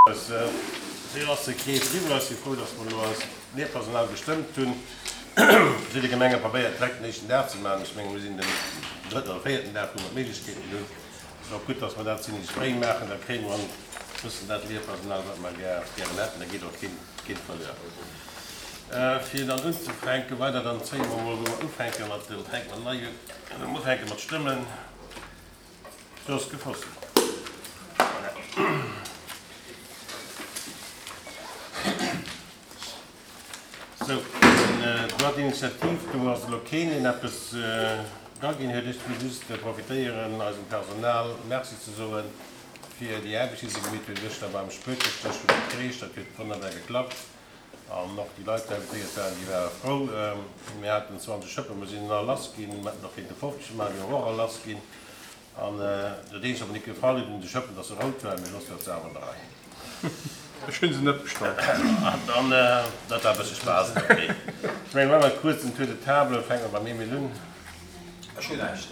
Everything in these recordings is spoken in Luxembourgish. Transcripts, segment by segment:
Esou ass de Krees eriwwer. Ech si frou, dass mer elo eist Lehrpersonal gestëmmt hunn. Verschidde Gemenge probéiert direkt den éischten Dag ze maachen. Ech menge mir sinn den drëtten oder véierten Dag, wou mer d'Méiglechkeeten hunn. Et ass och gutt, dass mer dat zimlech fréi maachen. Da kréie mer e bëssen dat Lehrpersonal, wat mer gären hätten. Da geet och keen verluer. Fir dann unzefänken, weider, dann zéie mer emol, wou mer ufänke mat dem, fänke mer nei un, wou mer ufänke mat stëmmen. Jos Gefossen. Voilà. Sou, den Droit d'initiative, do ass elo keen, deen eppes draginn huet. Ech wëll just profitéieren, eisem Personal Merci ze soen fir déi Aarbecht, déi se gemeet hunn gëschter beim Spuerkeschdësch vun der Kreesch. Dat huet wonnerbar geklappt an och déi Leit, déi invitéiert waren, déi ware frou. Mir haten 20 Schëppen, mer sinn all lass ginn. Mer hätten och kéinte 50 maachen, déi och all lass ginn. An dat eenzegt wat mer nit gefall huet un de Schëppen, dass se rout waren, mee soss war d'Saach an der Rei. Ech hunn se net bestallt. An dat war e bësse Spaass, ok. Ech mengen, maache mer e kuerzen Tour de table, fänke mer beim Emile un. Ech hunn näischt.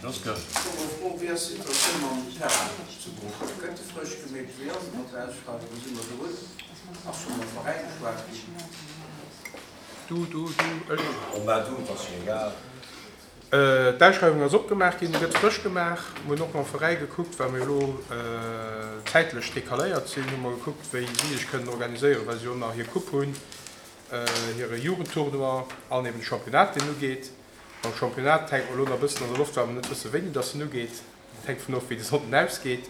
Joske. Ech hu eng Fro, Wéi ass d'Situatioun mam Terrain zu Bruch? Gëtt de frësch gemeet? Wéi ass et mat der Ausschreiwung? Wou si mer drun? Ass scho mam Veräin geschwat ginn? Du, du, du, ech. Oh mä du, 't ass jo egal. D'Ausschreiwung ass opgemaach ginn, gëtt frësch gemaach. Mir hunn och mam Veräi gekuckt, well mir elo zäitlech decaléiert sinn, hu mer gekuckt, wéi si sech kënnen organiséieren, well si och nach hir Coupe hunn, hire Jugendtournoi an eben de Championnat, deen ugeet. Mam Championnat hänkt mer elo nach e bëssen an der Loft, well mer net wëssen, wéini dass en ugeet. Dat hänkt dovun of, wéi de Sonnden ausgeet.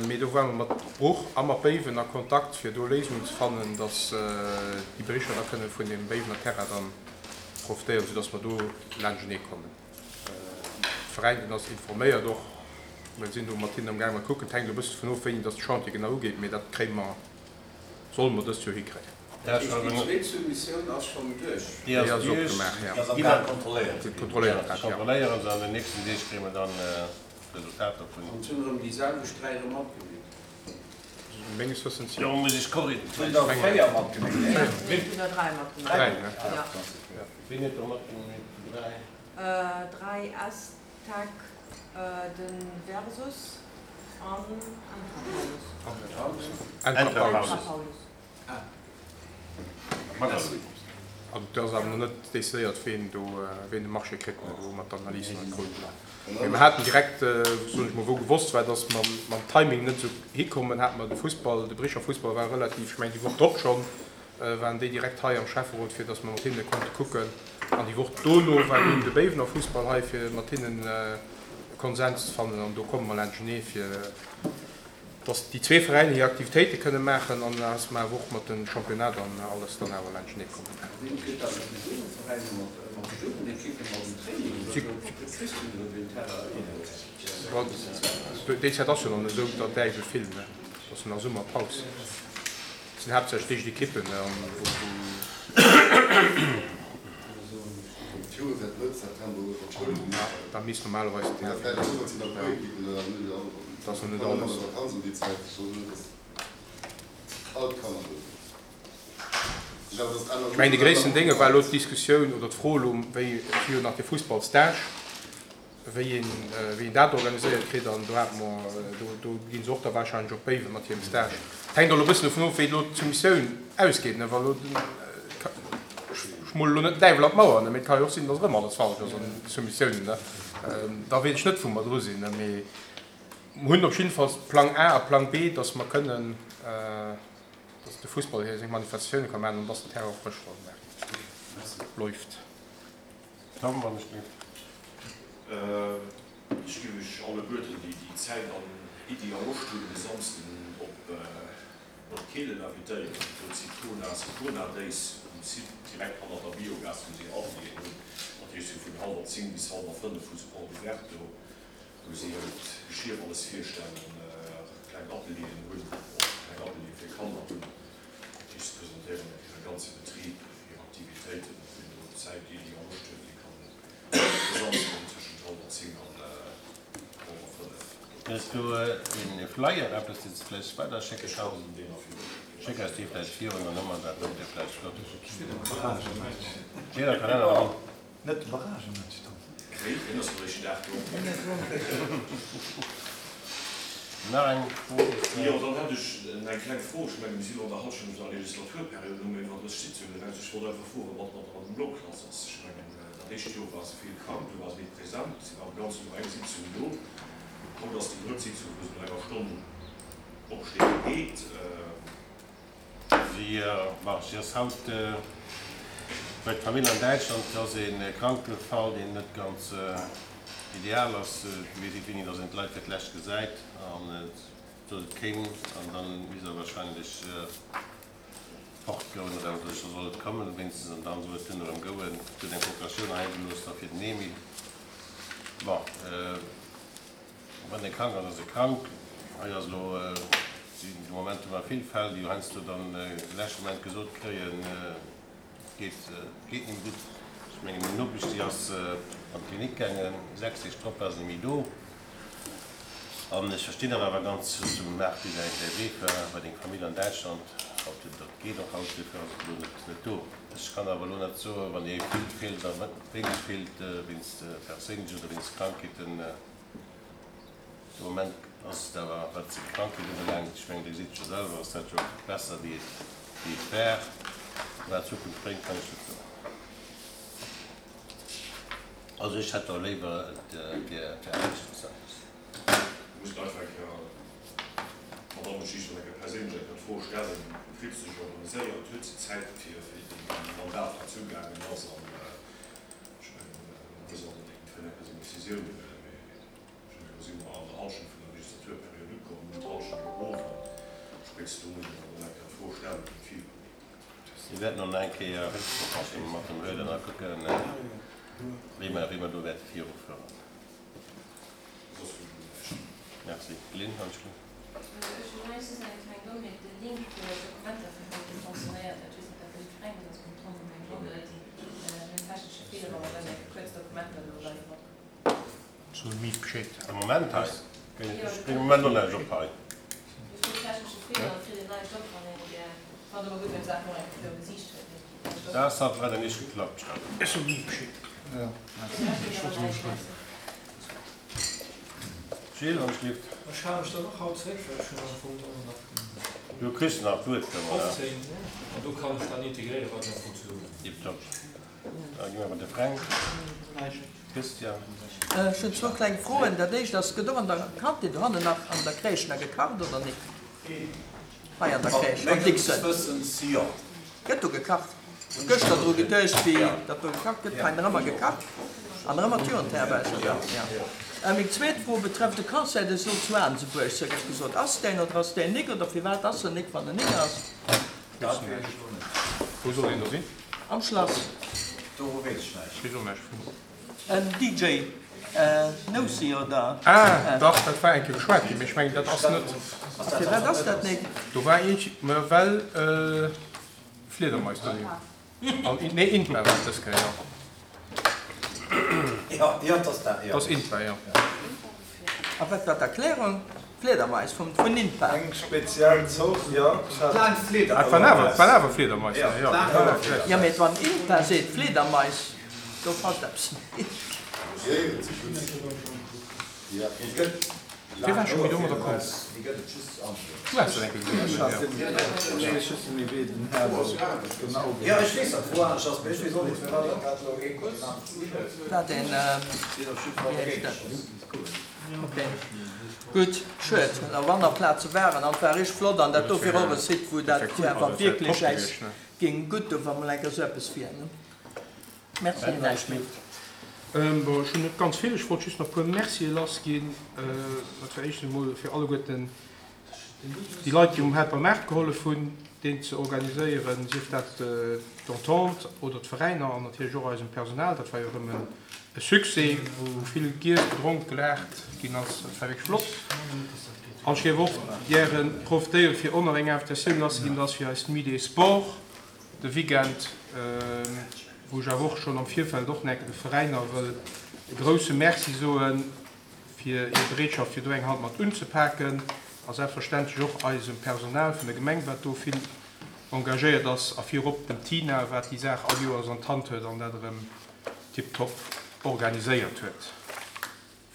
Mee do ware mer mat Bruch a mat Béiwen a Kontakt, fir do Léisungen ze fannen, dass déi Bericher da kënne vun deem Béiwener Terrain dann profitéieren, soudass mer do laanschtenee kommen. De Veräin, deen ass informéiert och. Mir sinn do mat hinnen amgaangen mat kucken. Et hänkt elo e bësse dovun of, wéini dass de Chantier genau ugeet, mee dat kréie mer, solle mer dëst Joer hikréien. Dat heescht, déi zweet Soumissioun ass schonn duerch? Déi ass duerch, déi ass am Gaang kontrolléiert ze ginn. Kontrolléiert grad, jo. Kontrolléieren se, an den nächsten Deeg kréie mer dann d'Resultater vun. An et hunn erëm déi selwecht 3 erëm matgemeet? Menges Wëssens jo. Do muss ech korrigieren. Et hunn der 4 matgemeet, nee? Et hunn der 3 matgemeet. 3, ne? Jo. Wien huet der matgemeet? 3? 3 S-Tech, de Versus an Entra Paulus. Entra Paulus. Also et ass awer nach net decidéiert, ween do, ween de Marché kritt, wou mer d'Analys nach net kruten. Mee mer haten direkt, soen ech mol, wou gewosst war, datt mer mam Timing net esou hikommen, hate mer de Fussball, de Bricher Fussball war relativ, ech mengen déi Woch drop schonn, waren déi direkt hei am Schäfferot, fir datt mer mat hinne konnte kucken. An déi Woch dono war dunn de Béiwener Fussball hei, fir mat hinnen e Konsens ze fannen. An do komme mer laanschtenee fir. Dass déi zwee Veräiner hir Aktivitéite kënne maachen an dass mer awer och mat dem Championnat an alles dann awer laanschtenee kommen. Wien kritt dat mat de Jugendveräiner, mat de Jugendekippen, mat dem Training oder esou? Wou kriss du elo deen Terrain hin? Déi Zäit ass jo nach net esou der Däiwel vill, ne? Et ass jo nach Summerpaus. Et sinn haaptsächlech d'éischt Ekippen, ne, an wou. Da misst normalerweis den Terrain. Dat ass noch net alles. Ech mengen, de gréissten Dénge war elo d'Diskussioun oder d'Fro elo, wéi, et si jo nach de Fussballstage, wéi een, wéi een dat organiséiert kritt. An do hate mer, do, do gi se och da wahrscheinlech op Béiwen mat hirem Stage. Et hänkt och elo e bëssen dovun of, wéi elo d'Soumissioun ausgeet, ne. Wa elo den, ech mole elo net den Däiwel an d'Mauer, ne, mee et ka jo och sinn, datt erëm alles falsch ass an de Soumissiounen, ne. Da weess ech net, wou mer dru sinn, ne. Mee Mer hunn op jiddefalls Plang A a Plang B, dass mer kënnen, dass de Fussball hir seng Manifestatioune ka maachen an dass den Terrain och frësch soll gemaach ginn. Läuft. Tom, wann ech dierf. Ech géif iech alleguerten, déi déi Zäit an Iddi a Loscht hunn, de Samsden op Nordkehlen invitéieren. Do Zitrona, Citrona Days um Site direkt hannert der Biogas, wou si Atelieren hunn. Dat heescht, sou vun hallwer 10 bis hallwer 5 hu se Porte ouverte do. wou si hiert Geschier alles virstellen, kleng Atelieren hunn, och kleng Ateliere fir Kanner hunn, déi se presentéieren, och hire ganze Betrib, hir Aktivitéiten. Wien do Zäit, Iddi a Loscht huet, dee kann de Samsden tëschent hallwer 10 an hallwer 5 do Hues du ee Flyer, eppes deen s de vläicht weiderschécke Ech kanns? kann deen nach virun schécken. Schéck eis dee vläicht virun, dann hu mer dat och vläicht flott. Steet am Kalenner dran. Net de Barragematch dann? Wéi? Deen ass am éischten Dag do. Nach eng Fro? Jo, dann hätt ech eng kleng Fro. Ech mengen, mir si lo an der Hallschent vun der Legislaturperiod, elo hu mir iwwer 30 Sitzungen eraus. Ech wollt einfach froen, wat mat der Madame Block lass ass. Ech mengen, dat éischt Joer war se vill krank, do war se nit present, si war ganz no eng Sitzung do. Haut ass déi drëtt Sitzung, wou se no enger Stonn opsteet a geet. Si, bon, si ass haut bei d'Famill an Däitschland. Et ass ee Krankefall, deen net ganz ideal ass. Et weess ee wéini, datt een d'Leit fir d'lescht gesäit. An et sot, et kéim an da misst er wahrscheinlech fortgoen erëm. Sot ech, da soll et kommen wéinstens an dann soll et dunn erëm gouen. Et huet eng Procuratioun hei gelooss da fir den Emil. Bon. Wann ee krank ass, ass e krank. Hei ass elo, de Moment hu mer vill Fäll, déi heiansdo dann de leschte Moment gesot kréien, et geet, et geet net méi gutt. Ech mengen, meng Nopesch, déi ass an d'Klinik gaangen, 6 Deeg drop war se net méi do. An ech verstinn dat awer ganz, zum Marc, dee säi Wee war bei deng Famill an Däitschland, haut, dat geet och haut, duerfir ass et elo net do. Ech kann awer elo net soen, wann ee vill feelt a wéineg feelt, wéinst perséinlechen oder wéinst Krankheeten. De Moment ass et awer, wat d'Krankheet ubelaangt, ech mengen, Dir gesitt et jo selwer, ass dat jo besser wéi et wéi et war. Wat d'Zukunft bréngt, kann ech net soen. Also ech hätt da léiwer, et wier aneschters eppes. Muss einfach eng Kéier d'Madame Schicht eng Kéier perséinlech eng Kéier d'Fro stellen, wéi kritt se sech organiséiert, huet se Zäit fir fir déi Mandat wat zugaangen ass an ech mengen, da muss an iergendwéi eng Kéier seng Décisioun huelen. Mee ech mengen, do si mer an der Hallschent vun der Legislaturperiod ukomm, hunn d'Hallschent elo of an spéitstens do muss een dann och eng Kéier d'Fro stellen, wéi et virugeet. Mir wäerten och nach eng Kéier Récksprooch mat em huelen a kucken, wéi mer, wéi mer do wäerte virufueren. Soss hunn ech elo näischt. Merci. Lynn, alles gutt? Ech hunn hei just eng kleng Dommheet, de Link fir d'Dokumenter vun haut, dee fonctionnéiert net. Ech weess net, ob dat bei jiddwerengem ass, beim Tom mengen ech och net. Mir hunn technesche Feeler, ma mer wäerten eng Kéier kuerz d'Dokumenter elo live matkucken. Zu mi Bescheed. Am Moment hei. Ech bréngen am Moment och näischt op hei. Dat hat leider nicht geklappt. Ech soe mi Bescheed. Gilles, wann ech lift. Ech hale mech dann och haut zréck, well ech hunn am Fong och nach den. Du kriss nach d'Wuert, 15, an do kann ech dann integréieren, wat ech am Fong ze soen hunn. Tiptop. Da gi mer bei de Fränk. Christian. Ech hunn zwou kleng Froen. Dat éischt ass, Gëtt och an der Kantin dohannen nach an der Crèche nach gekacht oder nik? Hei an der Crèche am Dixon. Gëtt do gekacht? Hunn gëschter dru geduecht, wéi datt do gekacht gëtt. Hei nach ëmmer gekacht an nach ëmmer d'Jugendherberg, oder? Jo. Meng zweet Fro betrëfft de Concert des Eaux zu Aansebuerg. Sou gëtt gesot, ass deen oder ass deen nik? Oder firwat ass en nik, wann en nik ass? Dat weess ech lo net. Wou soll deen do sinn? Am Schlass. Dovu weess ech näischt. Weess och näischt vun. En DJ Nousi oder? Ah, dach, dat war eng Kéier beschwat ginn, mee ech mengen, dat ass net. A firwat ass dat nik? Do war eent, mä well Fliedermais do sinn. An, nee, Intma war et dës Kéier, jo. Jo, jo, 't ass dat, jo. 't ass Intma, jo. A wat war d'Erklärung? Fliedermais vum, vun Intma. Eng speziell Zort, jo. Kleng Fliedermais. Et waren awer, et waren awer Fliedermais, jo. Jo, jo, mee wann Intma seet Fliedermais, do passt eppes net. Wéi war scho méi domadder komm? Du has dat eng Kéier gesot, jo. Wat een, wéi heescht dat? Ok, gutt, schued, op aner Plaze waren an et war richteg flott an dat do wier och e Site, wou dat awer wierklech äis géing gutt doen, wa mol eng Kéier esou eppes wier, ne? Merci, näischt méi. Bon, ech hunn net ganz vill. Ech wollt just nach e puer Mercië lassginn. Dat war éischtens emol fir alleguerten déi Leit, déi um Helper Maart gehollef hunn, deen ze organiséieren, sief dat d'Entente oder d'Veräiner an natierlech och eisem Personal. Dat war jo erëm e Succès, wou vill giess, gedronk, gelaacht ginn ass. Dat war wierklech flott. An ech géif och gäre profitéieren, fir och nach eng Invitatioun lasszeginn, dat ass fir eis Nuit des Sports. De Weekend, wou ech awer och schonn am Virfeld och nach de Veräiner wëll e grouse Merci soe fir hir Bereetschaft, fir do eng Hand mat unzepaken, a selbstverständlech och eisem Personal vun der Gemeng, wat do vill engagéiert ass, a virop dem Tina, wat déi Saach all Joers an d'Hand huet an dat erëm tiptop organiséiert huet.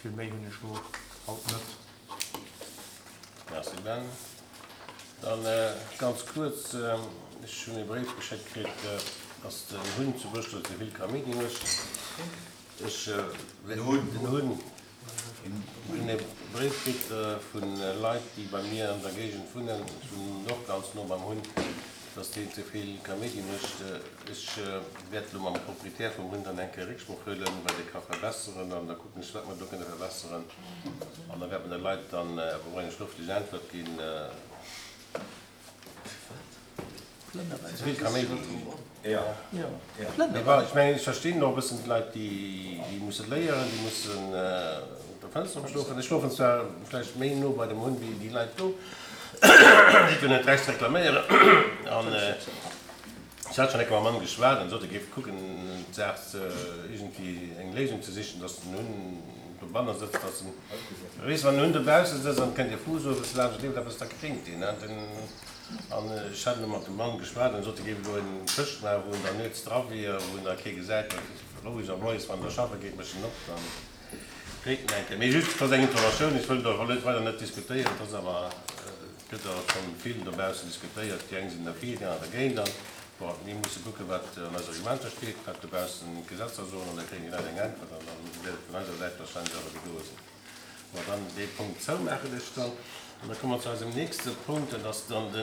Vill méi hunn ech elo haut net. Merci Ben. Dann ganz kuerz, ech hunn e Bréif geschéckt kritt, dass den Hunn zu Brüssel ze vill Kaméidi mécht. Ech den Hunn hunn e Bréif kritt vu Leit, déi bei mir an der Géigend wunnen, ech wunnen och ganz no beim Hunn, dass deen ze vill Kaméidi mécht. Ech wäert elo mam Proprietär vum Hunn dann eng Kéier Récksprooch huelen, wat ee ka verbesseren an da kucken ech, wat mer do kënne verbesseren. An da wäerte mer de Leit dann awer och eng schrëftlech Äntwert ginn. Ze vill Kaméidi. Mee bon, ech mengen, ech verstinn och e bëssen d'Leit, déi musse léieren, déi mussen op der Fënster schlofen. Ech schlofen zwar vläicht méi no bei dem Hunn wéi déi Leit do, déi hunn net d'Recht ze reklaméieren. An ech hat schonn eng Kéier mam Mann geschwat an sot, e géif kucken, d'Saach iergendwéi eng Léisung ze sichen, datt den Hunn dobanner sëtzt, datt en, weess, wann en Hunn dobausse sëtzt an et kënnt e Fuuss owes laanscht, leeft eppes, da kréngt deen. An ech hat elo mat dem Mann geschwat, en sot, e géif elo en Këscht maachen, wou en dann nuets dra wier, wou en da kee gesäit, well roueg a moies, wann en da schaffe geet, mécht en op, da kréint en eng Kéier. Mee just, et ass eng Informatioun, ech wëll do net weider net diskutéieren, et ass awer, et gëtt awer schonn vill dobaussen diskutéiert, déi eng sinn derfir, déi aner dergéint. An bon, mir musse kucken, wat an eise Reglementer steet, wat dobaussen d'Gesetzer soen, an da kréien déi Leit eng Äntwert an dann wäert et vun eiser Säit warscheinlech awer gedoe sinn. Bon, dann dee Punkt zoumaachen ech dann. An da komme mer zu eisem nächste Punkt, dat ass dann de.